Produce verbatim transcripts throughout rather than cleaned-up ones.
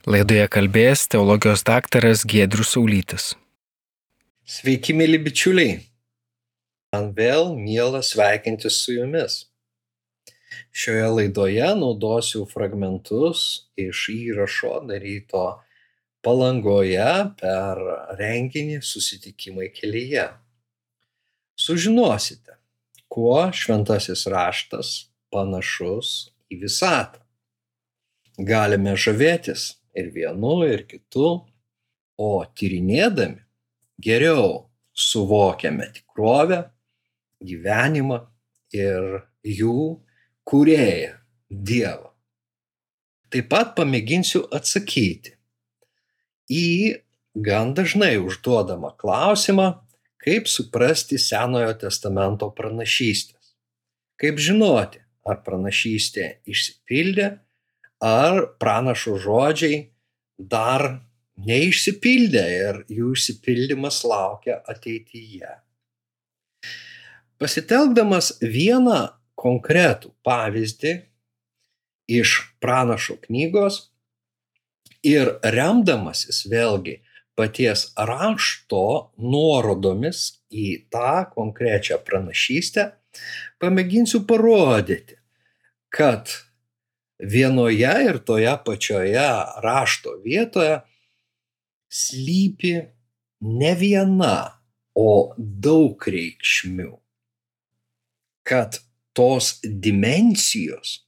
Laidoje kalbės teologijos daktaras Giedrius Saulytis. Sveiki, mėly bičiuliai. Man vėl miela sveikintis su jumis. Šioje laidoje naudosiu fragmentus iš įrašo daryto Palangoje per renginį Susitikimai kelyje. Sužinosite, kuo šventasis raštas panašus į visatą. Galime žavėtis ir vienu, ir kitu, o tyrinėdami geriau suvokiame tikrovę, gyvenimą ir jų kūrėją Dievą. Taip pat pamėginsiu atsakyti į gan dažnai užduodamą klausimą, kaip suprasti Senojo testamento pranašystės. Kaip žinoti, ar pranašystė išsipildė, ar pranašo žodžiai dar neišsipildė ir jų išsipildymas laukia ateityje. Pasitelkdamas vieną konkretų pavyzdį iš pranašo knygos ir remdamasis vėlgi paties rašto nuorodomis į tą konkrečią pranašystę, pamėginsiu parodyti, kad vienoje ir toje pačioje rašto vietoje slypi ne viena, o daug reikšmių. Kad tos dimensijos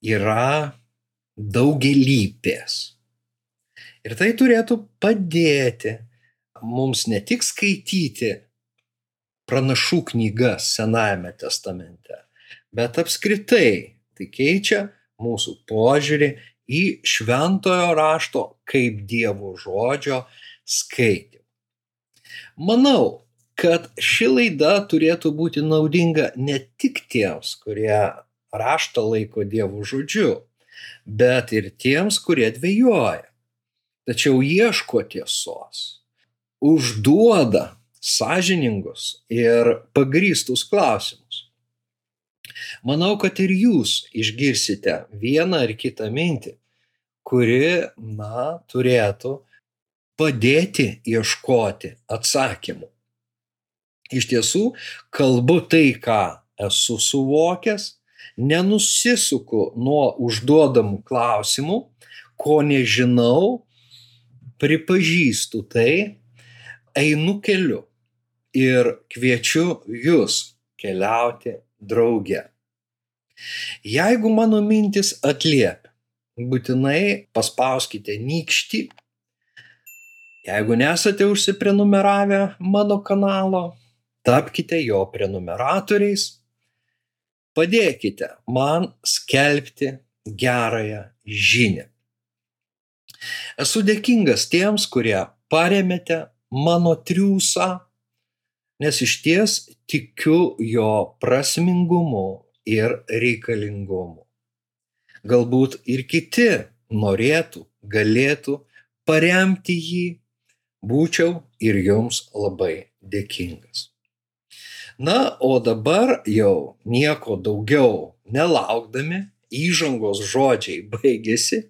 yra daugialypės. Ir tai turėtų padėti mums ne tik skaityti pranašų knygas Senajame testamente, bet apskritai tai keičia mūsų požiūrį į šventojo rašto kaip Dievo žodžio skaitymą. Manau, kad ši laida turėtų būti naudinga ne tik tiems, kurie raštą laiko Dievo žodžiu, bet ir tiems, kurie dvejoja, tačiau ieško tiesos, užduoda sąžiningus ir pagrįstus klausimus. Manau, kad ir jūs išgirsite vieną ar kitą mintį, kuri, na, turėtų padėti ieškoti atsakymų. Iš tiesų, kalbu tai, ką esu suvokęs, nenusisuku nuo užduodamų klausimų, ko nežinau, pripažįstu tai, einu keliu ir kviečiu jus keliauti drauge. Jeigu mano mintis atliepia, būtinai paspauskite nykštį. Jeigu nesate užsiprenumeravę mano kanalo, tapkite jo prenumeratoriais. Padėkite man skelbti gerąją žinią. Esu dėkingas tiems, kurie paremėte mano triūsą, nes išties tikiu jo prasmingumu ir reikalingumu. Galbūt ir kiti norėtų, galėtų paremti jį, būčiau ir jums labai dėkingas. Na, o dabar jau nieko daugiau nelaukdami, įžangos žodžiai baigėsi,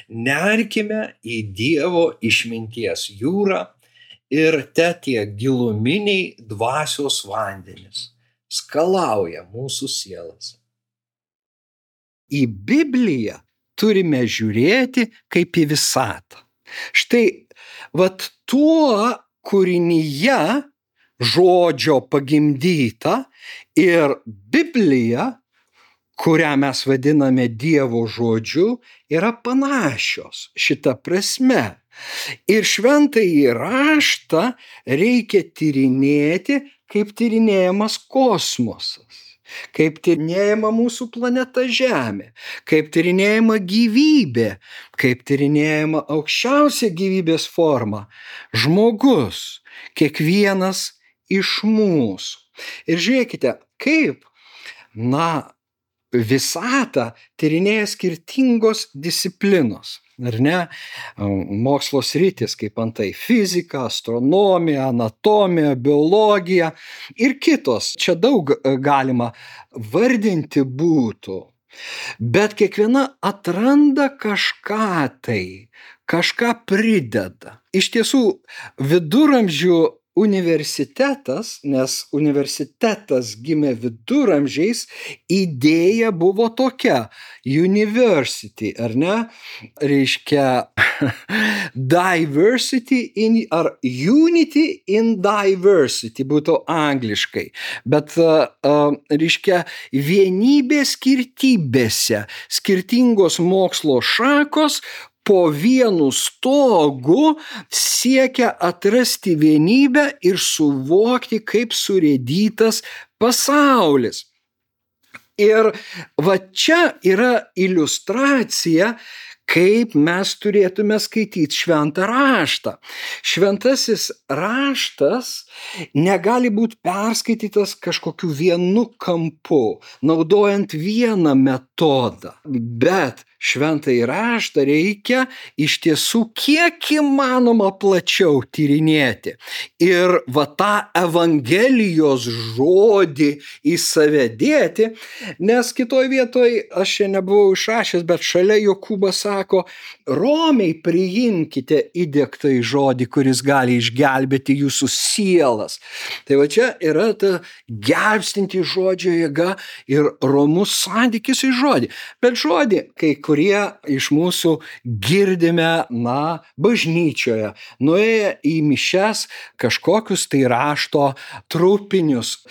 nerkime į Dievo išminties jūrą ir te tie giluminiai dvasios vandenys skalauja mūsų sielas. Į Bibliją turime žiūrėti kaip į visatą. Štai, vat tuo kūrinyje žodžio pagimdyta ir Biblija, kurią mes vadiname Dievo žodžiu, yra panašios šita prasme. Ir šventąjį raštą reikia tyrinėti, kaip tyrinėjamas kosmosas, kaip tyrinėjama mūsų planeta Žemė, kaip tyrinėjama gyvybė, kaip tyrinėjama aukščiausia gyvybės forma – žmogus, kiekvienas iš mūsų. Ir žiūrėkite, kaip, na, visatą tyrinėja skirtingos disciplinos, ar ne? Mokslo sritis, kaip antai fizika, astronomija, anatomija, biologija ir kitos. Čia daug galima vardinti būtų. bet kiekviena atranda kažką tai, kažką prideda. Iš tiesų, viduramžių universitetas, nes universitetas gimė viduramžiais, idėja buvo tokia: university, ar ne? Reiškia diversity in, ar unity in diversity būtų angliškai. Bet, uh, uh, reiškia, vienybė skirtybėse, skirtingos mokslo šakos po vienu stogu siekia atrasti vienybę ir suvokti, kaip surėdytas pasaulis. Ir va čia yra iliustracija, kaip mes turėtume skaityti šventą raštą. Šventasis raštas negali būti perskaitytas kažkokiu vienu kampu, naudojant vieną metodą, bet šventąjį raštą reikia iš tiesų kiek įmanoma plačiau tyrinėti. Ir va tą Evangelijos žodį į save dėti, nes kitoj vietoj, aš čia nebuvau išrašęs, bet šalia Jokūbas sako: romiai priimkite įdiegtą žodį, kuris gali išgelbėti jūsų sielas. Tai va čia yra ta gelbstinti žodžio jėga ir romus santykis į žodį. Bet žodį, kai kurie iš mūsų girdime, na, bažnyčioje, nuėję į mišias kažkokius tai rašto trupinius,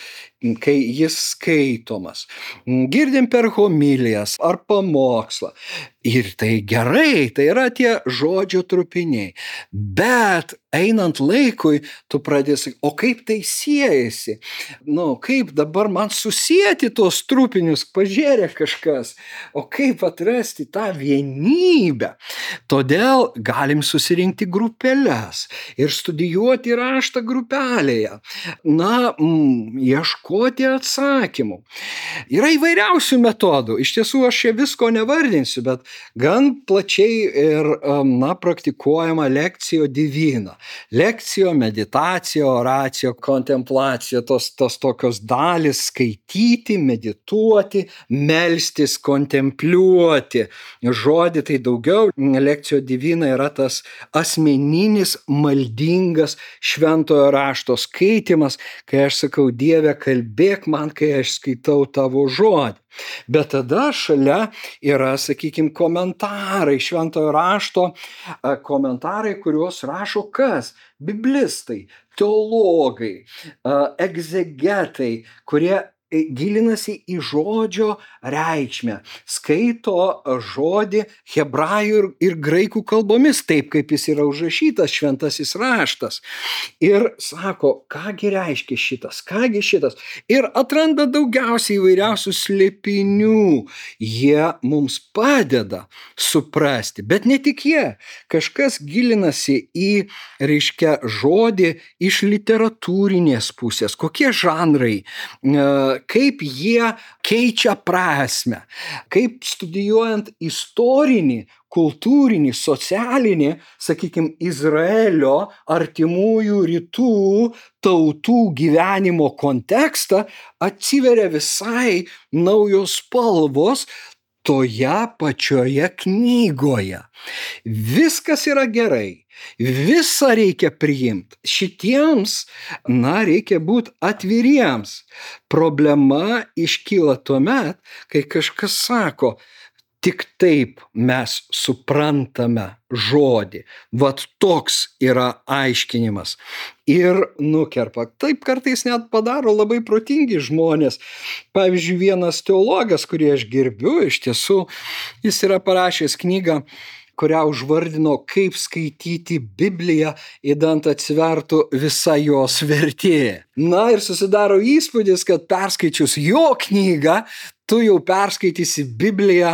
kai jis skaitomas. Girdim per homilijas ar pamokslą. Ir tai gerai, tai yra tie žodžio trupiniai. Bet einant laikui, tu pradėsi, o kaip tai siejasi? Nu, kaip dabar man susijęti tos trupinius, pažiūrė kažkas, o kaip atrasti tą vienybę? Todėl galim susirinkti grupeles ir studijuoti raštą grupelėje. Na, mm, ieškoti atsakymų. Yra įvairiausių metodų. Iš tiesų, aš čia visko nevardinsiu, bet gan plačiai ir, na, praktikuojama lekcijo divina. Lekcijo, meditacija, oracijo, kontemplacija, tos, tos tokios dalis: skaityti, medituoti, melstis, kontempliuoti. Žodį tai daugiau. Lekcijo divina yra tas asmeninis, maldingas šventojo rašto skaitimas, kai aš sakau: Dieve, kalbėk man, kai aš skaitau tavo žodį. Bet tada šalia yra, sakykime, komentarai šventojo rašto, komentarai, kuriuos rašo kas? Biblistai, teologai, egzegetai, kurie gilinasi į žodžio reikšmę, skaito žodį hebrajų ir, ir graikų kalbomis, taip kaip jis yra užrašytas šventasis raštas. Ir sako, kągi reiškia šitas, kągi šitas. Ir atranda daugiausiai įvairiausių slėpinių. Jie mums padeda suprasti, bet ne tik jie. Kažkas gilinasi į, reiškia, žodį iš literatūrinės pusės, kokie žanrai, kaip jie keičia prasmę, kaip studijuojant istorinį, kultūrinį, socialinį, sakykime, Izraelio artimųjų rytų tautų gyvenimo kontekstą, atsiveria visai naujos spalvos toje pačioje knygoje. Viskas yra gerai. Visą reikia priimti. Šitiems, na, reikia būti atviriems. Problema iškyla tuomet, kai kažkas sako, tik taip mes suprantame žodį. Vat toks yra aiškinimas. Ir nukerpa. Taip kartais net padaro labai protingi žmonės. Pavyzdžiui, vienas teologas, kurį aš gerbiu, iš tiesų, jis yra parašęs knygą, kurią užvardino Kaip skaityti Bibliją, idant atsivertų visa jos vertė. Na ir susidaro įspūdis, kad perskaičius jo knygą, tu jau perskaitysi Bibliją,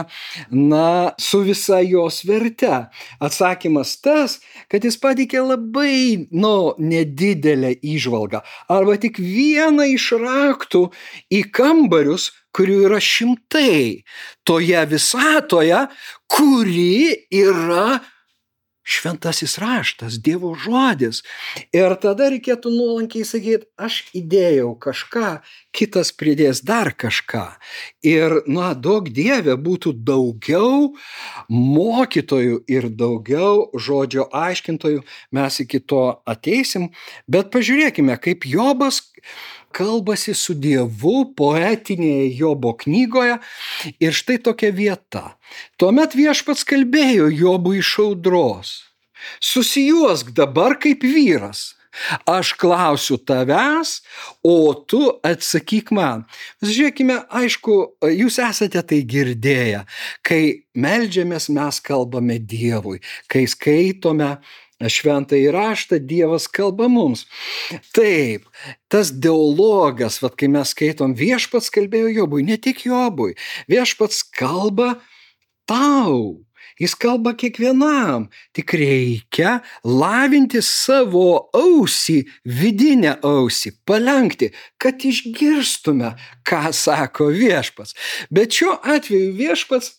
na, su visa jos verte. Atsakymas tas, kad jis pateikė labai, nu, nedidelę įžvalgą, arba tik vieną iš raktų į kambarius, kurių yra šimtai toje visatoje, kuri yra šventasis raštas, Dievo žodis. Ir tada reikėtų nuolankiai sakyti, aš įdėjau kažką, kitas pridės dar kažką. Ir, na, daug Dieve būtų daugiau mokytojų ir daugiau žodžio aiškintojų, mes iki to ateisim, bet pažiūrėkime, kaip Jobas kalbasi su Dievu poetinėje Jobo knygoje ir štai tokia vieta. Tuomet viešpats kalbėjo Jobui iš audros. Susijuosk dabar kaip vyras. Aš klausiu tavęs, o tu atsakyk man. Žiūrėkime, aišku, jūs esate tai girdėję. Kai meldžiamės, mes kalbame Dievui. Kai skaitome šventąjį raštą, Dievas kalba mums. Taip, tas dialogas, vat, kai mes skaitom, viešpats kalbėjo Jobui, ne tik Jobui, viešpats kalba tau, jis kalba kiekvienam, tik reikia lavinti savo ausį, vidinę ausį, palenkti, kad išgirstume, ką sako viešpats. Bet šiuo atveju viešpats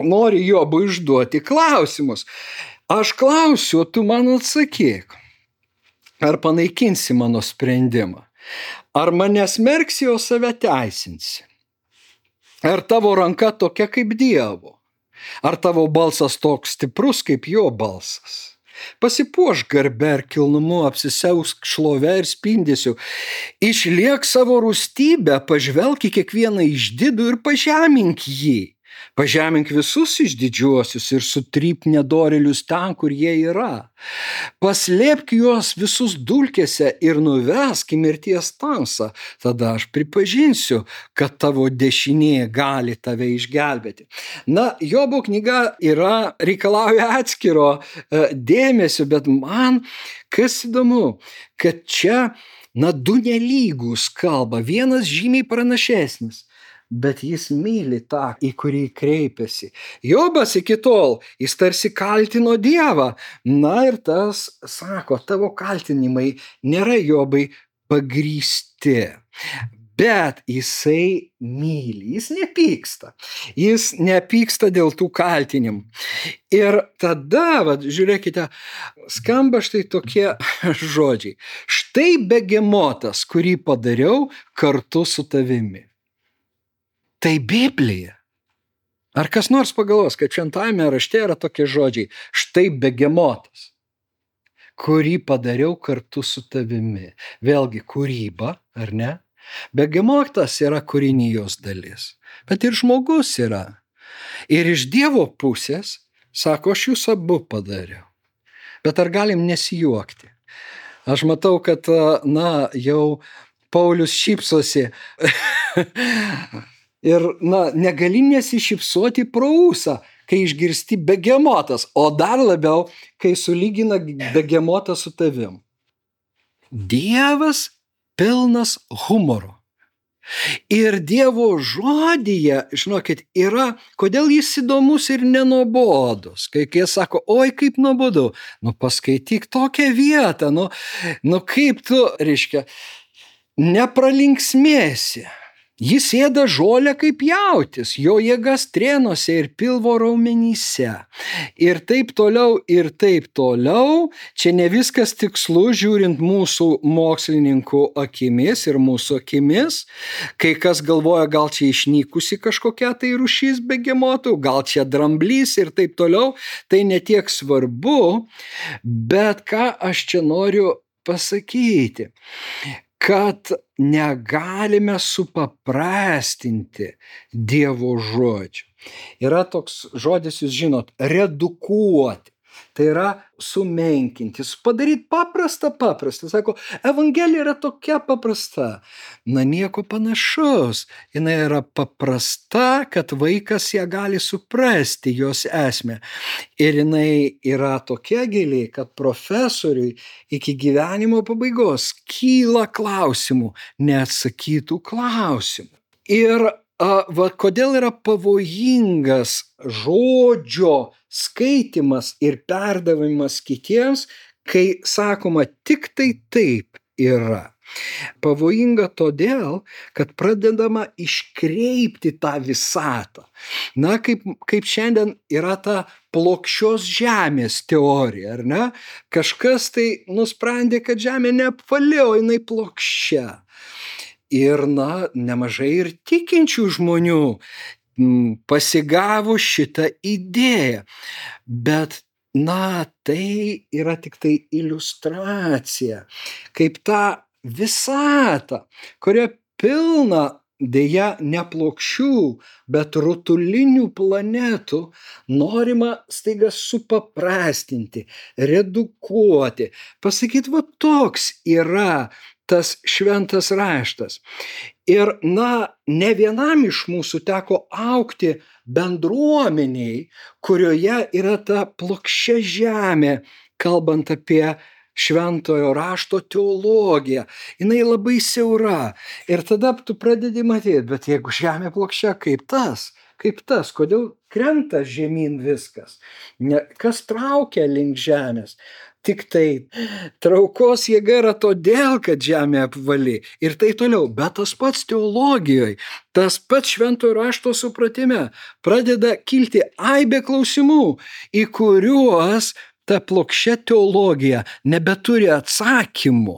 nori Jobui užduoti klausimus. Aš klausiu, tu man atsakyk, ar panaikinsi mano sprendimą, ar mane smerksi, o save teisinsi, ar tavo ranka tokia kaip Dievo, ar tavo balsas toks stiprus kaip jo balsas. Pasipuošk garbe ir kilnumu, apsisiausk šlove ir spindesiu, išliek savo rūstybę, pažvelk į kiekvieną išdidų ir pažemink jį. Pažemink visus išdidžiuosius ir sutryp nedorėlius ten, kur jie yra. Paslėpk juos visus dulkėse ir nuvesk į mirties tamsą. Tada aš pripažinsiu, kad tavo dešinė gali tave išgelbėti. Na, Jobo knyga yra, reikalauja atskiro e, dėmesio, bet man kas įdomu, kad čia, na, du nelygus kalba, vienas žymiai pranašesnis. Bet jis myli tą, į kurį kreipiasi. Jobas iki tol, jis tarsi kaltino Dievą. Na ir tas sako, tavo kaltinimai nėra, Jobai, pagrįsti. Bet jisai myli, jis nepyksta. Jis nepyksta dėl tų kaltinimų. Ir tada, vat, žiūrėkite, skamba štai tokie žodžiai. Štai begemotas, kurį padariau kartu su tavimi. Tai Biblija. Ar kas nors pagalvos, kad šventajame rašte yra tokie žodžiai, štai begemotas, kurį padariau kartu su tavimi. Vėlgi kūryba, ar ne? Begemotas yra kūrinijos dalis, bet ir žmogus yra. Ir iš Dievo pusės, sako, aš jūs abu padariau. Bet ar galim nesijuokti? Aš matau, kad, na, jau Paulius šypsosi. Ir, na, negali nesišypsoti pro ūsą, kai išgirsti begemotas, o dar labiau, kai sulygina begemotą su tavim. Dievas pilnas humoro. Ir Dievo žodyje, žinokit, yra, kodėl jis įdomus ir nenobodus. Kai jie sako, oi kaip nuobodu, nu paskaityk tokią vietą, nu, nu kaip tu, reiškia, nepralinksmėsi. Jis ėda žolę kaip jautis, jo jėgas strėnuose ir pilvo raumenyse. Ir taip toliau, ir taip toliau. Čia ne viskas tikslu, žiūrint mūsų mokslininkų akimis ir mūsų akimis. Kai kas galvoja, gal čia išnykusi kažkokia tai rūšis begemotų, gal čia dramblys ir taip toliau. Tai netiek svarbu, bet ką aš čia noriu pasakyti, kad negalime supaprastinti Dievo žodžių. Yra toks žodis, jūs žinot, redukuoti. Tai yra sumenkinti, padaryti paprastą paprastą. Sako, Evangelija yra tokia paprasta. Na, nieko panašaus. Jinai yra paprasta, kad vaikas ją gali suprasti, jos esmę. Ir jinai yra tokia gili, kad profesoriui iki gyvenimo pabaigos kyla klausimų, neatsakytų klausimų. Ir a, va, kodėl yra pavojingas žodžio skaitimas ir perdavimas kitiems, kai sakoma tik tai taip yra. Pavojinga todėl, kad pradedama iškreipti tą visatą. Na, kaip, kaip šiandien yra ta plokščios žemės teorija, ar ne? Kažkas tai nusprendė, kad žemė neapvali, o jinai plokščia. Ir, na, nemažai ir tikinčių žmonių pasigavo šitą idėją. Bet, na, tai yra tik tai iliustracija, kaip tą visatą, kuria pilna deja ne plokščių, bet rutulinių planetų, norima staiga supaprastinti, redukuoti, pasakyti, va toks yra tas šventas raštas. Ir, na, ne vienam iš mūsų teko augti bendruomeniai, kurioje yra ta plokščia žemė, kalbant apie šventojo rašto teologiją. Jinai labai siaura. Ir tada tu pradedi matyti, bet jeigu žemė plokščia, kaip tas? Kaip tas? Kodėl krenta žemyn viskas? Ne, kas traukia link žemės? Tik tai traukos jėga yra todėl, kad žemė apvali. Ir tai toliau. Bet tas pats teologijoje, tas pats šventojo rašto supratime pradeda kilti aibė klausimų, į kuriuos ta plokščia teologija nebeturi atsakymų.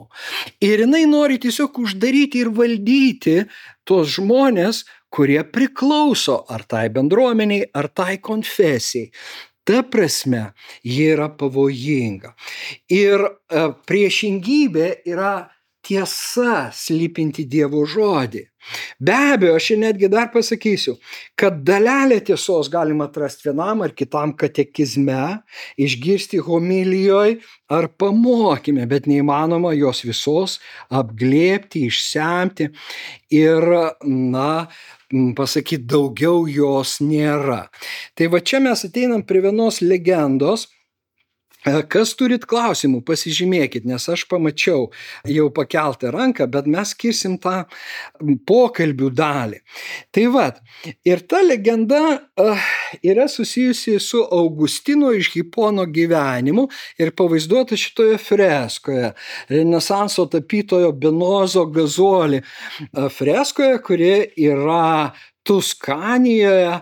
Ir jinai nori tiesiog uždaryti ir valdyti tuos žmonės, kurie priklauso ar tai bendruomeniai, ar tai konfesijai. Ta prasme, ji yra pavojinga. Ir e, priešingybė yra tiesa slypinti Dievo žodį. Be abejo, aš netgi dar pasakysiu, kad dalelę tiesos galima atrasti vienam ar kitam katekizme, išgirsti homilijoje ar pamokyme, bet neįmanoma jos visos apglėbti, išsemti ir, na, pasakyti, daugiau jos nėra. Tai va čia mes ateinam prie vienos legendos. Kas turit klausimų, pasižymėkit, nes aš pamačiau jau pakeltą ranką, bet mes skirsim tą pokalbių dalį. Tai vat, ir ta legenda uh, yra susijusi su Augustino iš Hipono gyvenimu ir pavaizduota šitoje freskoje, Renesanso tapytojo Benozo Gazoli freskoje, kuri yra Tuskanijoje,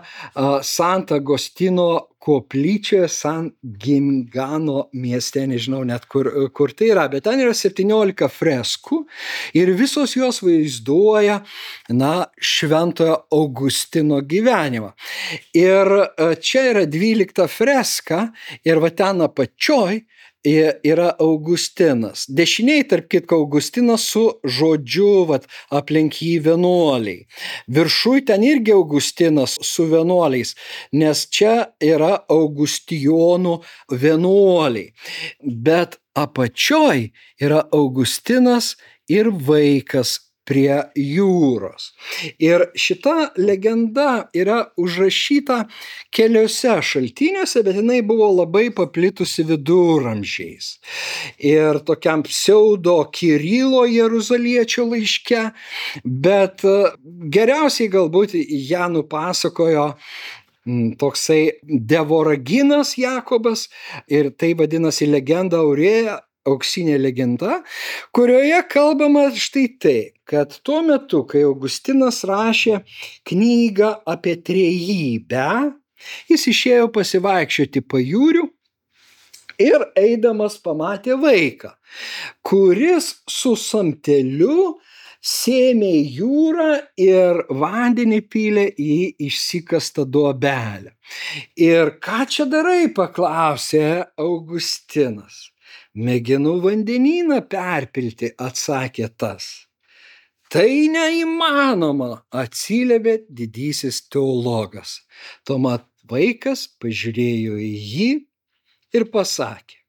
Sant'Agostino koplyčioje, San Gimigano mieste, nežinau net kur, kur tai yra, bet ten yra septyniolika freskų ir visos jos vaizduoja, na, šventojo Augustino gyvenimą. Ir čia yra dvylikta freska ir va ten apačioj yra Augustinas. Dešiniai, tarp kitko, Augustinas su žodžiu vat, aplink jį vienuoliai. Viršui ten irgi Augustinas su vienuoliais, nes čia yra Augustijonų vienuoliai. Bet apačioj yra Augustinas ir vaikas prie jūros. Ir šita legenda yra užrašyta keliose šaltiniuose, bet jinai buvo labai paplitusi viduramžiais. Ir tokiam pseudo Kirilo Jeruzaliečio laiške, bet geriausiai galbūt ją nupasakojo toksai Devoraginas Jakobas ir tai vadinasi legenda Aurėja, auksinė legenda, kurioje kalbama štai tai, kad tuo metu, kai Augustinas rašė knygą apie trejybę, jis išėjo pasivaikščioti pajūriu ir eidamas pamatė vaiką, kuris su samteliu sėmė į jūrą ir vandenį pylė į išsikastą duobelę. Ir ką čia darai, paklausė Augustinas. Mėginu vandenyną perpilti, atsakė tas. Tai neįmanoma, atsiliepė didysis teologas. Tuomet vaikas pažiūrėjo į jį ir pasakė: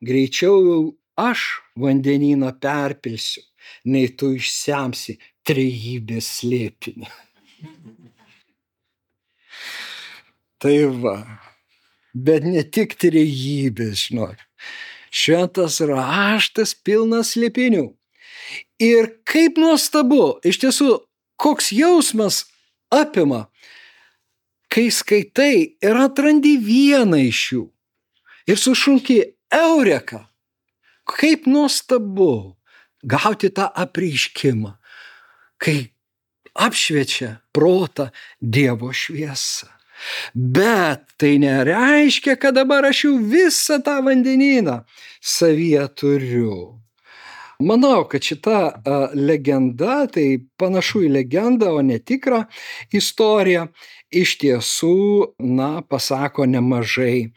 greičiau aš vandenyną perpilsiu, nei tu išsemsi trejybės slėpinį. Tai va, bet ne tik trejybės, žinok. Šventas raštas pilnas slėpinių. Ir kaip nuostabu, iš tiesų, koks jausmas apima, kai skaitai ir atrandi vieną iš jų ir sušauki eureka. Kaip nuostabu gauti tą apreiškimą, kai apšviečia protą Dievo šviesa. Bet tai nereiškia, kad dabar aš jau visą tą vandenyną savyje turiu. Manau, kad šita a, legenda, tai panašu į legendą, o ne tikrą istoriją, iš tiesų, na, pasako nemažai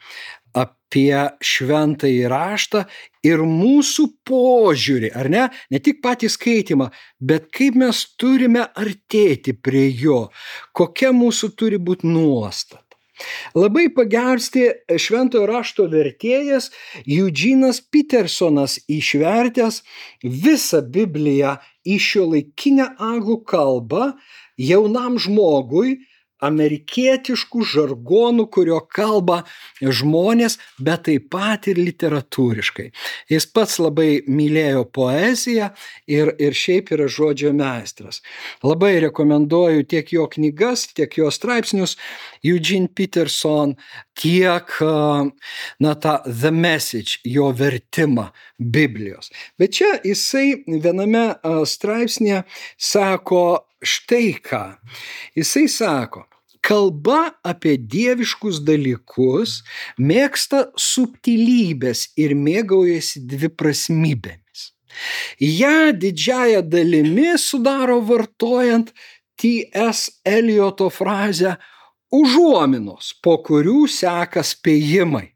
apie šventąjį raštą ir mūsų požiūrį, ar ne? Ne tik patį skaitimą, bet kaip mes turime artėti prie jo, kokia mūsų turi būti nuostata. Labai pagelbsti šventojo rašto vertėjas Eugenas Petersonas išvertęs visą Bibliją į šiuolaikinę anglų kalbą jaunam žmogui, amerikietiškų žargonų, kurio kalba žmonės, bet taip pat ir literatūriškai. Jis pats labai mylėjo poeziją ir, ir šiaip yra žodžio meistras. Labai rekomenduoju tiek jo knygas, tiek jo straipsnius, Eugene Peterson, tiek, na, tą The Message, jo vertimą Biblijos. Bet čia jisai viename straipsnėje sako štai ką. Jisai sako, kalba apie dieviškus dalykus mėgsta subtilybės ir mėgaujasi dviprasmybėmis. Ja didžiąja dalimi sudaro vartojant T S Elioto frazę užuominos, po kurių seka spėjimai.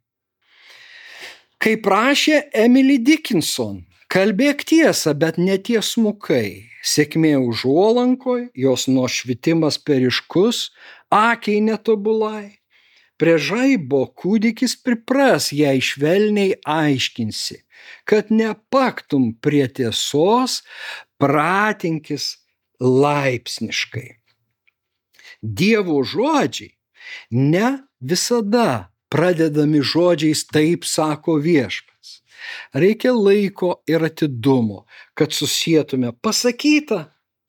Kaip rašė Emily Dickinson, kalbėk tiesą, bet netiesmukai. Sėkmė užuolankoj, jos nuošvitimas periškus, akiai netobulai. Prie žaibo kūdikis pripras, jei švelniai aiškinsi, kad nepaktum prie tiesos, pratinkis laipsniškai. Dievo žodžiai ne visada pradedami žodžiais taip sako viešpats. Reikia laiko ir atidumo, kad susietume pasakytą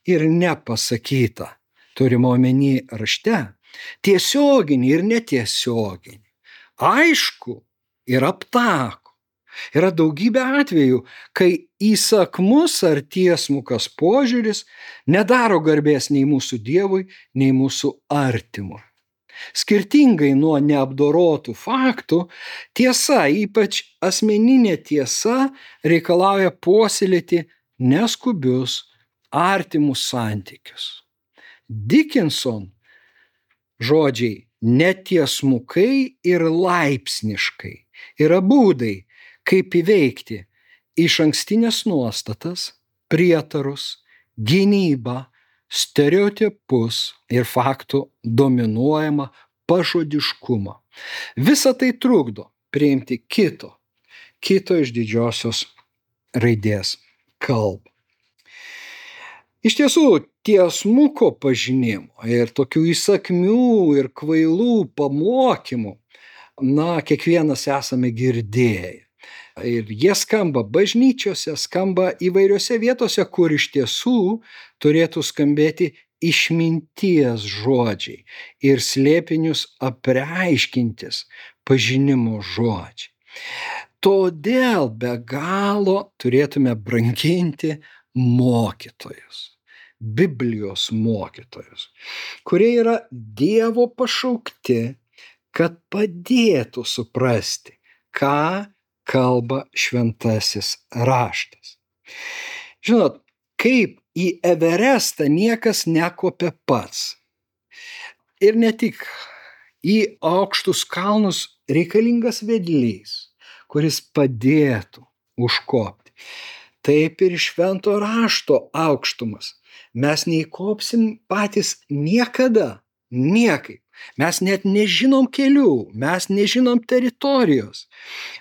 ir nepasakytą. Turime omeny rašte, tiesioginį ir netiesioginį. Aišku ir aptaku. Yra daugybė atvejų, kai įsakmus ar tiesmukas požiūris nedaro garbės nei mūsų Dievui, nei mūsų artimui. Skirtingai nuo neapdorotų faktų, tiesa, ypač asmeninė tiesa, reikalauja puoselėti neskubius, artimus santykius. Dickinson žodžiai netiesmukai ir laipsniškai yra būdai, kaip įveikti išankstinės nuostatas, prietarus, gynybą, stereotipus ir faktų dominuojamą pažodiškumą. Visa tai trukdo priimti kito, kito iš didžiosios raidės kalbą. Iš tiesų, tiesmuko pažinimo ir tokių įsakmių ir kvailų pamokymų, na, kiekvienas esame girdėję. Ir jie skamba bažnyčiose, skamba įvairiose vietose, kur iš tiesų turėtų skambėti išminties žodžiai ir slėpinius apreiškintis pažinimo žodžiai. Todėl be galo turėtume branginti mokytojus, Biblijos mokytojus, kurie yra Dievo pašaukti, kad padėtų suprasti, ką kalba šventasis raštas. Žinot, kaip į Everestą niekas nekopia pats. Ir ne tik, į aukštus kalnus reikalingas vedlys, kuris padėtų užkopti. Taip ir švento rašto aukštumas. Mes neįkopsim patys niekada, niekaip. Mes net nežinom kelių, mes nežinom teritorijos,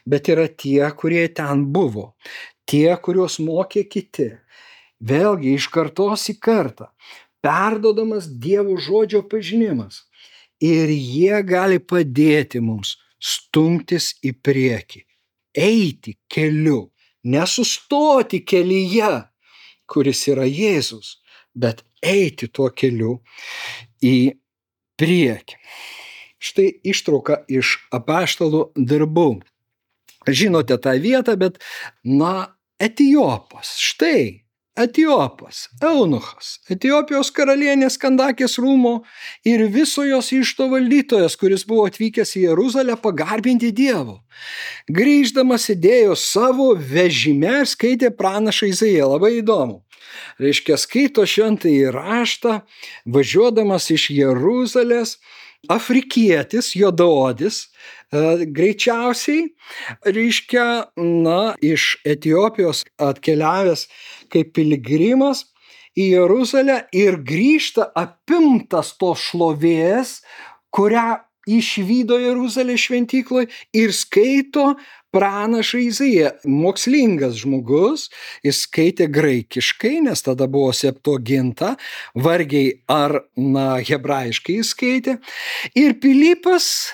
bet yra tie, kurie ten buvo, tie, kuriuos mokė kiti. Vėlgi iš kartos į kartą, perduodamas Dievo žodžio pažinimas. Ir jie gali padėti mums stumtis į priekį, eiti keliu, nesustoti kelyje, kuris yra Jėzus, bet eiti tuo keliu į priekį. Štai ištrauka iš apaštalų darbų. Žinote tą vietą, bet, na, Etiopas, štai Etiopas, eunuchas, Etiopijos karalienės Kandakės rūmo ir viso jos išto valdytojas, kuris buvo atvykęs į Jeruzalę pagarbinti Dievo. Grįždamas sėdėjo savo vežime ir skaitė pranašą Izaiją. Labai įdomu. Reiškia, skaito šventąjį raštą, važiuodamas iš Jeruzalės, afrikietis, juodaodis, e, greičiausiai, reiškia, na, iš Etiopijos atkeliavęs kaip piligrimas į Jeruzalę ir grįžta apimtas to šlovės, kurią išvydo Jeruzalės šventykloj ir skaito pranašą Izaiją. Mokslingas žmogus, jis skaitė graikiškai, nes tada buvo Septuaginta, vargiai ar, na, hebrajiškai jis skaitė. Ir Pilypas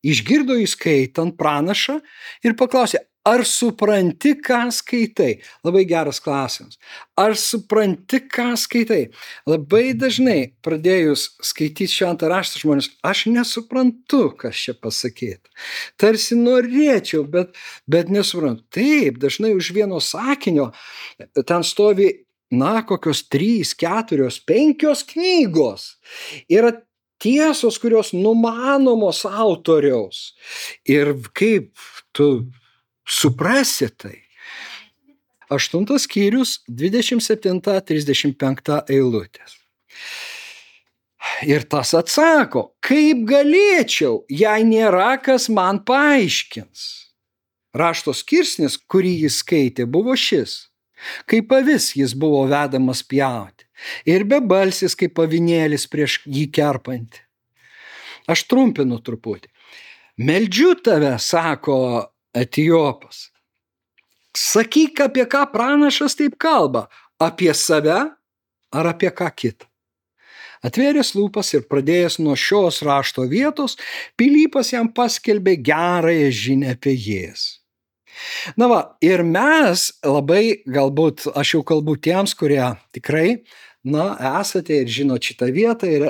išgirdo įskaitant pranašą ir paklausė, ar supranti, ką skaitai? Labai geras klausimas. Ar supranti, ką skaitai? Labai dažnai pradėjus skaityti šventą raštą žmonės, aš nesuprantu, kas čia pasakyta. Tarsi norėčiau, bet, bet nesuprantu. Taip, dažnai už vieno sakinio ten stovi, na, kokios trys, keturios, penkios knygos. Yra tiesos, kurios numanomos autoriaus. Ir kaip tu suprasi tai. Aštuntas skyrius, dvidešimt septinta trisdešimt penkta eilutės. Ir tas atsako, kaip galėčiau, jei nėra, kas man paaiškins. Rašto skirsnis, kurį jis skaitė, buvo šis. Kaip avis jis buvo vedamas pjauti. Ir bebalsis kaip avinėlis prieš jį kerpantį. Aš trumpinu truputį. Meldžiu tave, sako Etiopas. Sakyk, apie ką pranašas taip kalba, apie save ar apie ką kitą. Atvėręs lūpas ir pradėjęs nuo šios rašto vietos, Pilypas jam paskelbė gerąją žinią apie Jėzų. Na va, ir mes labai, galbūt, aš jau kalbu tiems, kurie tikrai, na, esate ir žinot šitą vietą ir,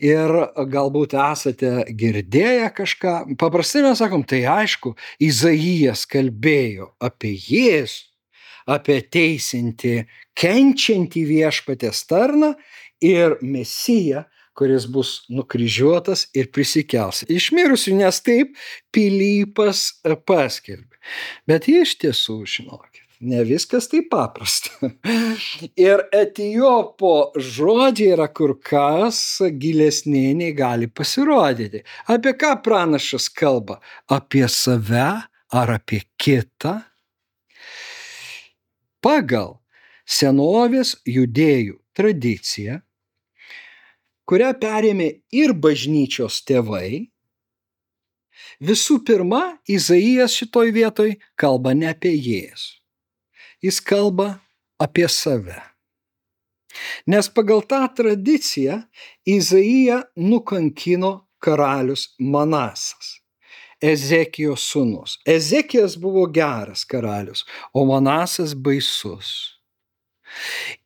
ir galbūt esate girdėję kažką. Paprastai mes sakom, tai aišku, Izaijas kalbėjo apie Jėzų, apie teisinti, kenčiantį viešpaties tarną ir Mesiją, kuris bus nukryžiuotas ir prisikels iš mirusių, nes taip Pilypas paskelbė. Bet iš tiesų, žinokit, ne viskas taip paprasta. Ir Etiopo žodžiai yra kur kas gilesni, nei gali pasirodyti. Apie ką pranašas kalba? Apie save ar apie kitą? Pagal senovės judėjų tradiciją, kurią perėmė ir bažnyčios tėvai, visų pirma, Izaijas šitoj vietoj kalba ne apie Jėzų. Jis kalba apie save. Nes pagal tą tradiciją Izaiją nukankino karalius Manasas, Ezekijos sūnus. Ezekijas buvo geras karalius, o Manasas baisus.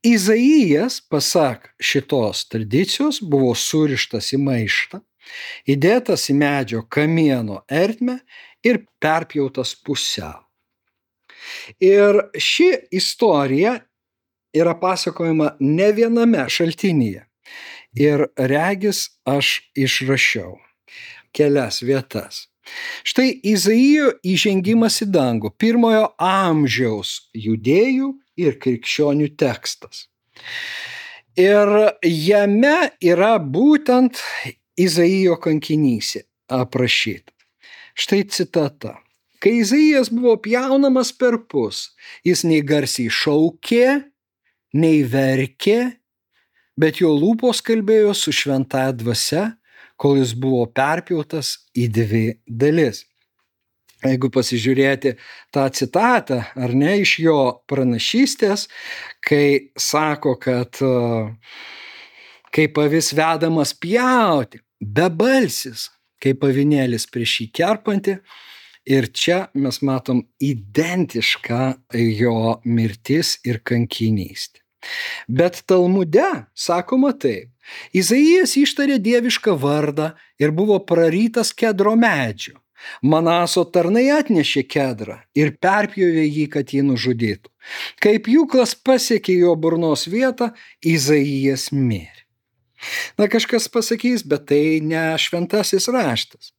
Izaijas, pasak šitos tradicijos, buvo surištas į maištą, įdėtas į medžio kamieno ertmę ir perpjautas pusiau. Ir ši istorija yra pasakojama ne viename šaltinyje. Ir regis aš išrašiau kelias vietas. Štai Izaijo įžengimas į dangų, pirmojo amžiaus judėjų ir krikščionių tekstas. Ir jame yra būtent Izaijo kankinystė aprašyta. Štai citata. Kai Izaijas buvo pjaunamas perpus, jis nei garsiai šaukė, nei verkė, bet jo lūpos kalbėjo su šventąja dvasia, kol jis buvo perpjautas į dvi dalis. Jeigu pasižiūrėti tą citatą, ar ne, iš jo pranašystės, kai sako, kad kaip avis vedamas pjauti, bebalsis, kaip avinėlis prieš jį kerpantį, ir čia mes matom identišką jo mirtis ir kankinystę. Bet Talmude sakoma taip. Izaijas ištarė dievišką vardą ir buvo prarytas kedro medžio. Manaso tarnai atnešė kedrą ir perpjovė jį, kad jį nužudytų. Kai pjūklas pasiekė jo burnos vietą, Izaijas mirė. Na, kažkas pasakys, bet tai ne šventasis raštas.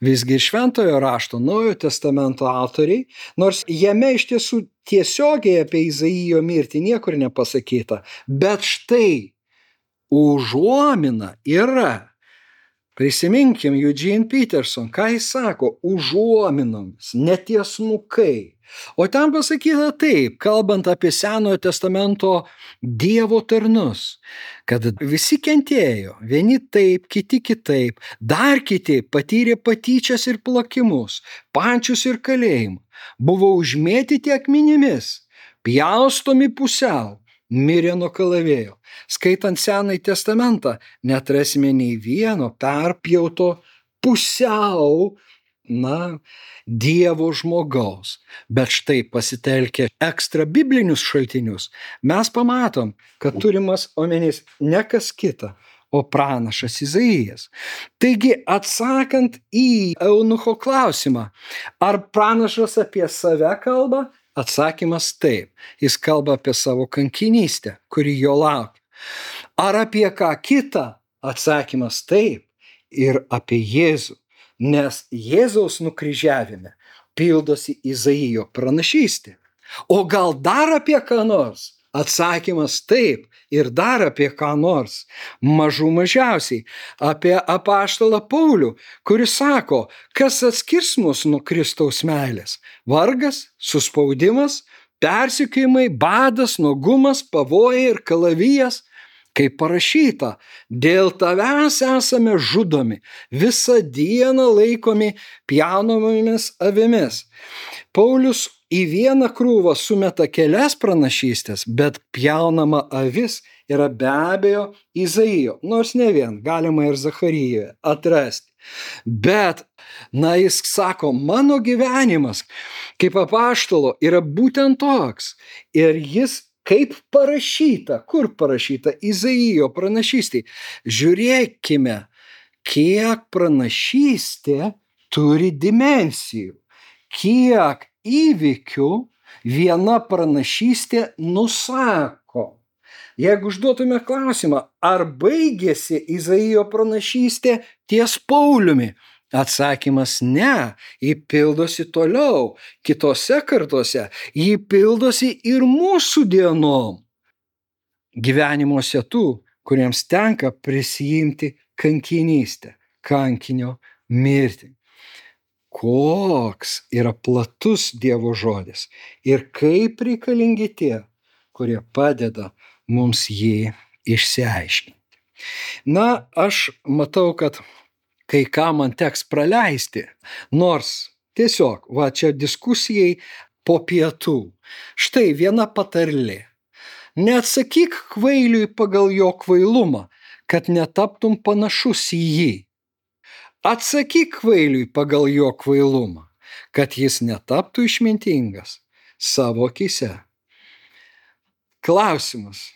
Visgi šventojo rašto Naujojo testamento autoriai, nors jame iš tiesų tiesiogiai apie Izaijo mirtį niekur nepasakyta, bet štai užuomina yra. Prisiminkim Eugene Peterson, ką jis sako, užuominomis, netiesmukai. O ten pasakyta taip, kalbant apie Senojo testamento Dievo tarnus, kad visi kentėjo, vieni taip, kiti kitaip, dar kiti patyrė patyčias ir plakimus, pančius ir kalėjimą, buvo užmėtyti akmenimis, pjaustomi pusiau, mirė nuo kalavėjo. Skaitant Senąjį testamentą, neatrasime nei vieno perpjauto pusiau, na, Dievo žmogaus. Bet štai pasitelkę ekstra biblinius šaltinius, mes pamatom, kad turimas omenys ne kas kita, o pranašas Izaijas. Taigi, atsakant į eunucho klausimą, ar pranašas apie save kalba? Atsakymas taip. Jis kalba apie savo kankinystę, kuri jo laukia. Ar apie ką kitą? Atsakymas taip. Ir apie Jėzų. Nes Jėzaus nukryžiavime pildosi Izaijo pranašystė. O gal dar apie ką nors? Atsakymas taip. Ir dar apie ką nors. Mažų mažiausiai. Apie apaštalą Paulių, kuris sako, kas atskirs mus nuo Kristaus meilės? Vargas, suspaudimas, persekiojimai, badas, nuogumas, pavojai ir kalavijas. Kaip parašyta, dėl tavęs esame žudomi, visą dieną laikomi pjaunamomis avimis. Paulius į vieną krūvą sumeta kelias pranašystės, bet pjaunama avis yra be abejo Izaijo, nors ne vien, galima ir Zacharijoje atrasti. Bet, na, jis sako, mano gyvenimas kaip apaštalo yra būtent toks. Ir jis kaip parašyta, kur parašyta Izaijo pranašystė. Žiūrėkime, kiek pranašystė turi dimensijų, kiek įvykių viena pranašystė nusako. Jeigu užduotume klausimą, ar baigėsi Izaijo pranašystė ties Pauliumi? Atsakymas ne, jį pildosi toliau, kitose kartose, jį pildosi ir mūsų dienom. Gyvenimuose tų, kuriems tenka prisijimti kankinystę, kankinio mirtį. Koks yra platus Dievo žodis ir kaip reikalingi tie, kurie padeda mums jį išsiaiškinti. Na, aš matau, kad kai ką man teks praleisti, nors tiesiog, va čia diskusijai po pietų. Štai viena patarlė. Neatsakyk kvailiui pagal jo kvailumą, kad netaptum panašus į jį. Atsakyk kvailiui pagal jo kvailumą, kad jis netaptų išmintingas savo akyse. Klausimas.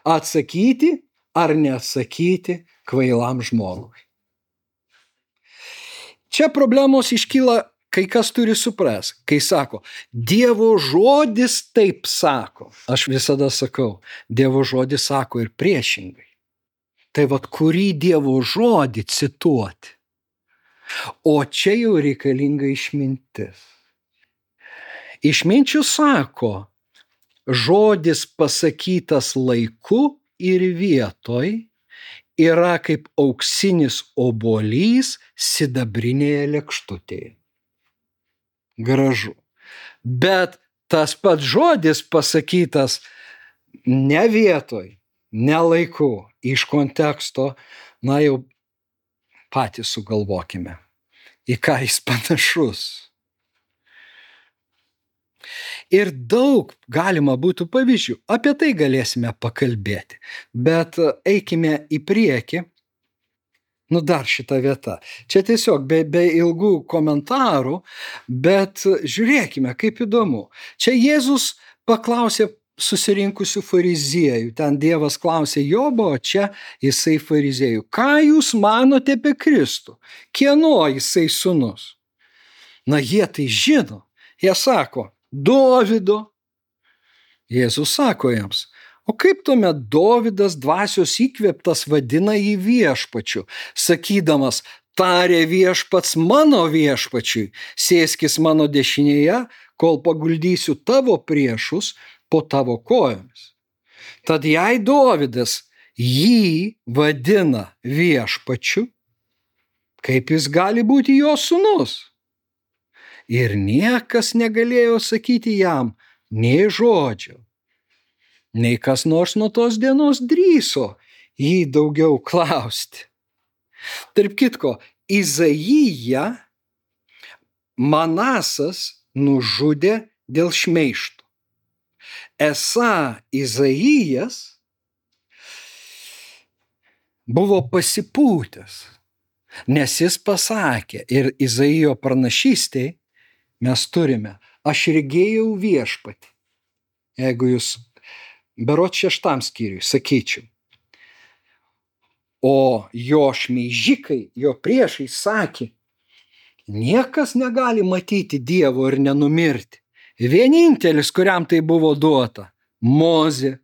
Atsakyti ar neatsakyti kvailam žmogui? Čia problemos iškyla, kai kas turi supras, kai sako, Dievo žodis taip sako. Aš visada sakau, Dievo žodis sako ir priešingai. Tai vat kurį Dievo žodį cituoti? O čia jau reikalinga išmintis. Išminčių sako, žodis pasakytas laiku ir vietoj yra kaip auksinis obuolys sidabrinėje lėkštutėje. Gražu. Bet tas pats žodis pasakytas ne vietoj, ne laiku, iš konteksto, na jau patys sugalvokime, į ką jis panašus. Ir daug galima būtų pavyzdžių, apie tai galėsime pakalbėti, bet eikime į priekį. Nu dar šita vieta. Čia tiesiog be, be ilgų komentarų, bet žiūrėkime, kaip įdomu. Čia Jėzus paklausė susirinkusių fariziejų. Ten Dievas klausė Jobo, o čia jisai fariziejų. Ką jūs manote apie Kristų? Kieno jisai sūnus? Na, jie tai žino. Jie sako, Dovido. Jėzus sako jiems, o kaip tuomet Dovidas dvasios įkvėptas vadina jį viešpačiu, sakydamas, tarė viešpats mano viešpačiui, sėskis mano dešinėje, kol paguldysiu tavo priešus po tavo kojomis. Tad jei Dovidas jį vadina viešpačiu, kaip jis gali būti jo sūnus? Ir niekas negalėjo sakyti jam nei žodžio, nei kas nors nuo tos dienos drįso jį daugiau klausti. Tarp kitko, Izaiją Manasas nužudė dėl šmeižto. Esą Izaijas buvo pasipūtęs, nes jis pasakė ir Izaijo pranašystėj mes turime, aš regėjau viešpatį. Jeigu jūs berods šeštam skyriui sakyčiau. O jo šmeižikai, jo priešai sakė, niekas negali matyti Dievo ir nenumirti. Vienintelis, kuriam tai buvo duota, Mozė.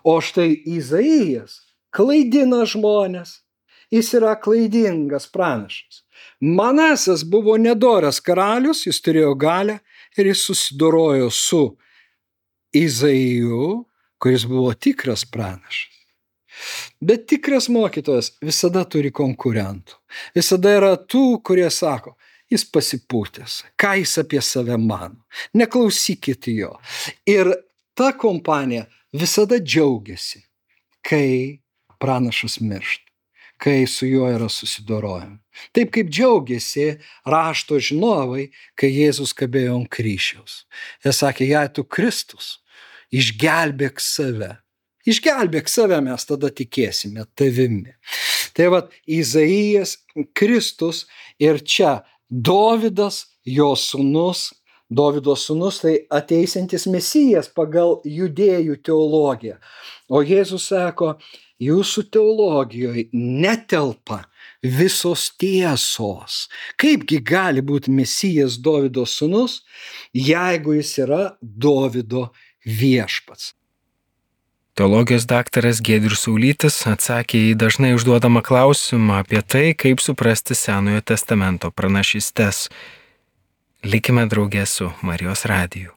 O štai Izaijas klaidina žmones. Jis yra klaidingas pranašas. Manasas buvo nedoras karalius, jis turėjo galią ir jis susidorojo su Izaiju, kuris buvo tikras pranašas. Bet tikras mokytojas visada turi konkurentų. Visada yra tų, kurie sako, jis pasipūtęs, ką jis apie save mano. Neklausykit jo. Ir ta kompanija visada džiaugiasi, kai pranašas miršta, kai su juo yra susidorojama. Taip kaip džiaugiasi rašto žinovai, kai Jėzus kabėjo ant kryžiaus. Jie sakė, jei tu Kristus, išgelbėk save. Išgelbėk save, mes tada tikėsime tavimi. Tai vat, Izaijas, Kristus ir čia Dovydas, jo sūnus, Dovydo sūnus, tai ateisiantis Mesijas pagal judėjų teologiją. O Jėzus sako, jūsų teologijoje netelpa visos tiesos. Kaipgi gali būti Mesijas Dovydo sūnus, jeigu jis yra Dovydo viešpats? Teologijos daktaras Giedrius Saulytis atsakė į dažnai užduodamą klausimą apie tai, kaip suprasti Senojo testamento pranašystes. Likime drauge su Marijos radiju.